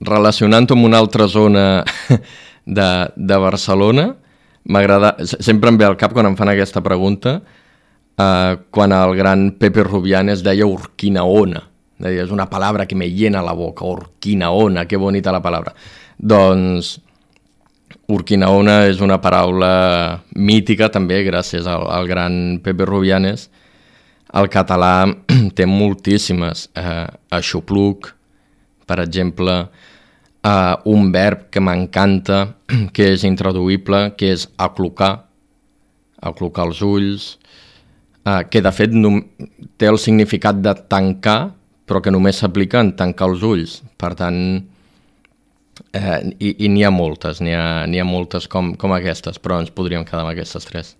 relacionant-ho amb una altra zona de Barcelona, m'agrada, sempre em ve al cap quan em fan aquesta pregunta, quan el gran Pepe Rubianes deia Urquinaona. Deia, és una palabra que me llena la boca, Urquinaona, que bonita la palabra. Doncs Urquinaona és una paraula mítica també, gràcies al gran Pepe Rubianes. El català té moltíssimes. Aixopluc, per exemple, un verb que m'encanta, que és intraduïble, que és aclucar els ulls, que de fet té el significat de tancar, però que només s'aplica en tancar els ulls. Per tant, i n'hi ha moltes, n'hi ha moltes com aquestes, però ens podríem quedar amb aquestes tres.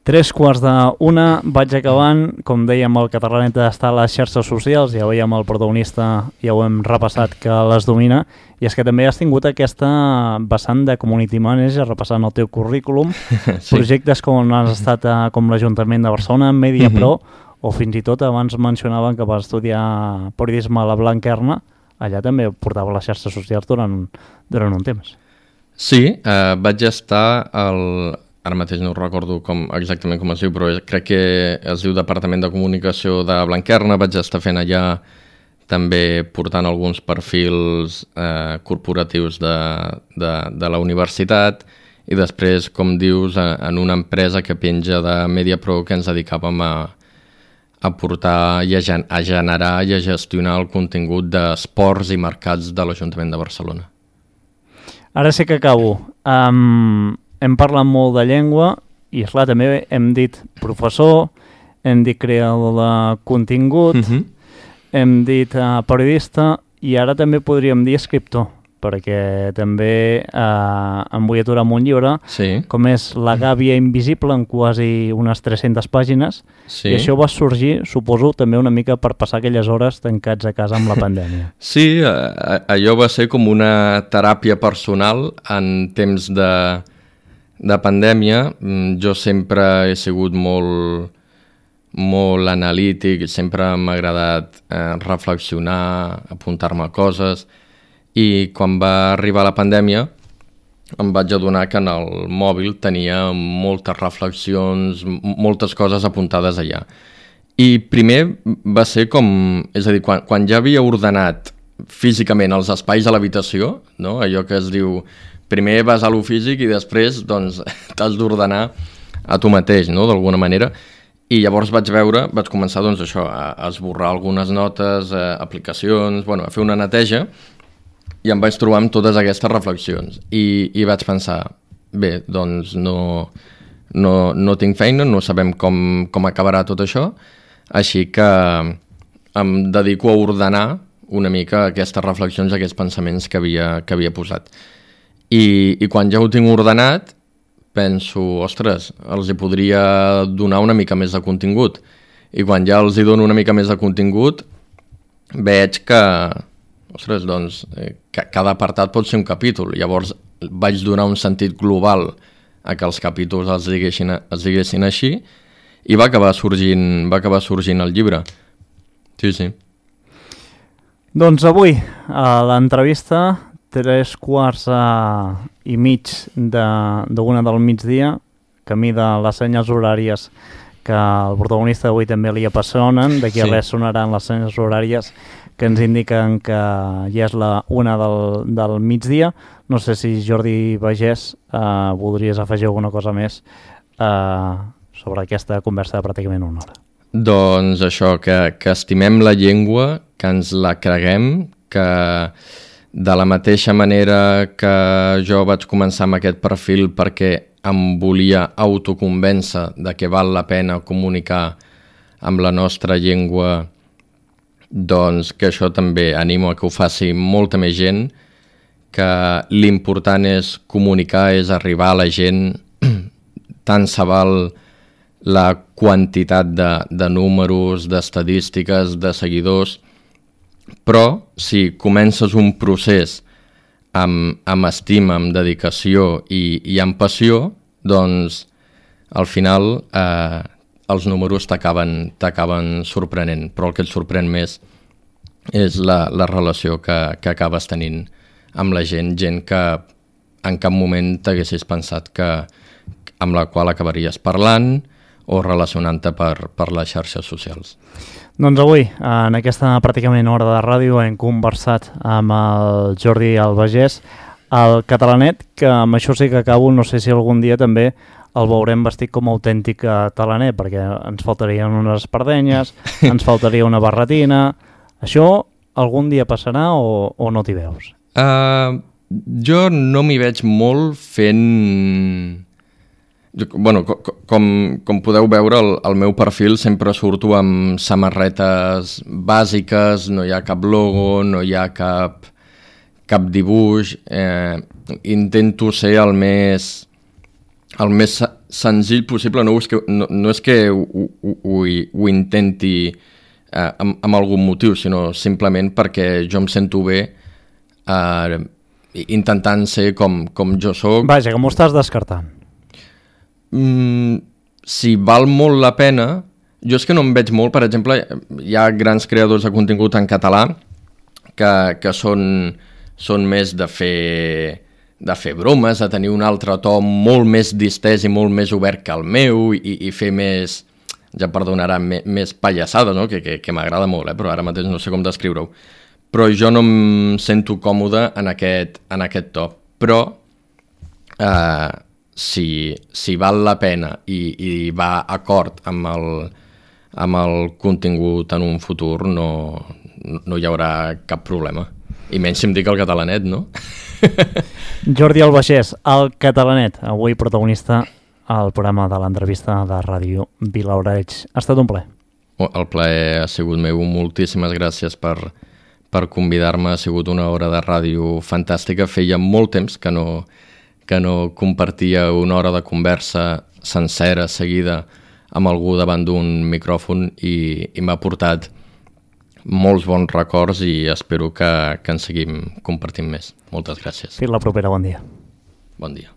3:45, vaig acabant. Com dèiem, el Catalànet està a les xarxes socials, ja veiem el protagonista, ja ho hem repassat, que les domina, i és que també has tingut aquesta vessant de community manager, repassant el teu currículum, sí. Projectes com has estat com l'Ajuntament de Barcelona, MediaPro, o fins i tot abans mencionaven que vas estudiar periodisme a la Blanquerna, allà també portava les xarxes socials durant un temps. Sí, vaig estar ara mateix no recordo exactament com es diu, però crec que es diu Departament de Comunicació de Blanquerna. Vaig estar fent allà també portant alguns perfils corporatius de la universitat i després, com dius, en una empresa que penja de MediaPro que ens dedicàvem a portar i a generar i a gestionar el contingut d'esports i mercats de l'Ajuntament de Barcelona. Ara sí que acabo. Hem parlat molt de llengua i, esclar, també hem dit professor, hem dit creador de contingut, hem dit periodista i ara també podríem dir escriptor, perquè també em vull aturar amb un llibre, sí. Com és La gàbia invisible, en quasi unes 300 pàgines, sí. I això va sorgir, suposo, també una mica per passar aquelles hores tancats a casa amb la pandèmia. Sí, allò va ser com una teràpia personal en temps de pandèmia. Jo sempre he sigut molt analític, sempre m'ha agradat reflexionar, apuntar-me coses, i quan va arribar la pandèmia em vaig adonar que en el mòbil tenia moltes reflexions, moltes coses apuntades allà. I primer va ser com... És a dir, quan ja havia ordenat físicament els espais a l'habitació, no? Allò que es diu, primer vas a lo físic i després doncs, t'has d'ordenar a tu mateix, no? D'alguna manera. I llavors vaig començar doncs, això, a esborrar algunes notes, aplicacions, a fer una neteja, i em vaig trobar amb totes aquestes reflexions i vaig pensar, bé, doncs no tinc feina, no sabem com acabarà tot això, així que em dedico a ordenar una mica aquestes reflexions, aquests pensaments que havia posat. I quan ja ho tinc ordenat, penso, ostres, els hi podria donar una mica més de contingut. I quan ja els hi dono una mica més de contingut, veig que, ostres, doncs, cada apartat pot ser un capítol. Llavors vaig donar un sentit global a que els capítols es diguessin així i va acabar sorgint el llibre. Sí, sí. Doncs avui, a l'entrevista, 3:15 del migdia, camí de les senyes horàries que el protagonista d'avui també li apassionen. D'aquí a res sonaran les senyes horàries que ens indiquen que ja és la 1 del migdia. No sé si Jordi Bagés voldries afegir alguna cosa més sobre aquesta conversa de pràcticament 1 hora. Doncs això, que estimem la llengua, que ens la creguem, que de la mateixa manera que jo vaig començar amb aquest perfil perquè em volia autoconvèncer de que val la pena comunicar amb la nostra llengua, doncs que això també animo a que ho faci molta més gent, que l'important és comunicar, és arribar a la gent, tant se val la quantitat de números, d'estadístiques, de seguidors, però si comences un procés amb estima, amb dedicació i amb passió, doncs al final els números t'acaben sorprenent, però el que et sorprèn més és la relació que acabes tenint amb la gent que en cap moment t'haguessis pensat amb la qual acabaries parlant o relacionant-te per les xarxes socials. Doncs avui, en aquesta pràcticament hora de ràdio, hem conversat amb el Jordi Albagés, el catalanet, que amb això sí que acabo, no sé si algun dia també el veurem vestit com a autèntic catalaner, perquè ens faltarien unes espardenyes, ens faltaria una barretina. Això algun dia passarà o no t'hi veus? Jo no m'hi veig molt fent... Bueno, com podeu veure, el meu perfil sempre surto amb samarretes bàsiques, no hi ha cap logo, no hi ha cap dibuix. Intento ser el més senzill possible. No és que ho intenti amb algun motiu, sinó simplement perquè jo em sento bé intentant ser com jo soc. Vaja, que m'ho estàs descartant. Si val molt la pena, jo és que no em veig molt. Per exemple, hi ha grans creadors de contingut en català que són més de fer bromes, de tenir un altre to molt més distès i molt més obert que el meu i fer més, ja perdonaran, més pallassada, no? que m'agrada molt, però ara mateix no sé com descriure-ho. Però jo no em sento còmode en aquest to. Però si val la pena i va acord amb el contingut en un futur, no hi haurà cap problema. I menys si em dic el catalanet, no? Jordi Albagés, el catalanet, avui protagonista al programa de l'entrevista de Ràdio Vilaoreig. Ha estat un plaer. El plaer ha sigut meu. Moltíssimes gràcies per convidar-me. Ha sigut una hora de ràdio fantàstica. Feia molt temps que no compartia una hora de conversa sencera, seguida, amb algú davant d'un micròfon i m'ha portat molts bons records i espero que en seguim compartint més. Moltes gràcies. Fins la propera, bon dia. Bon dia.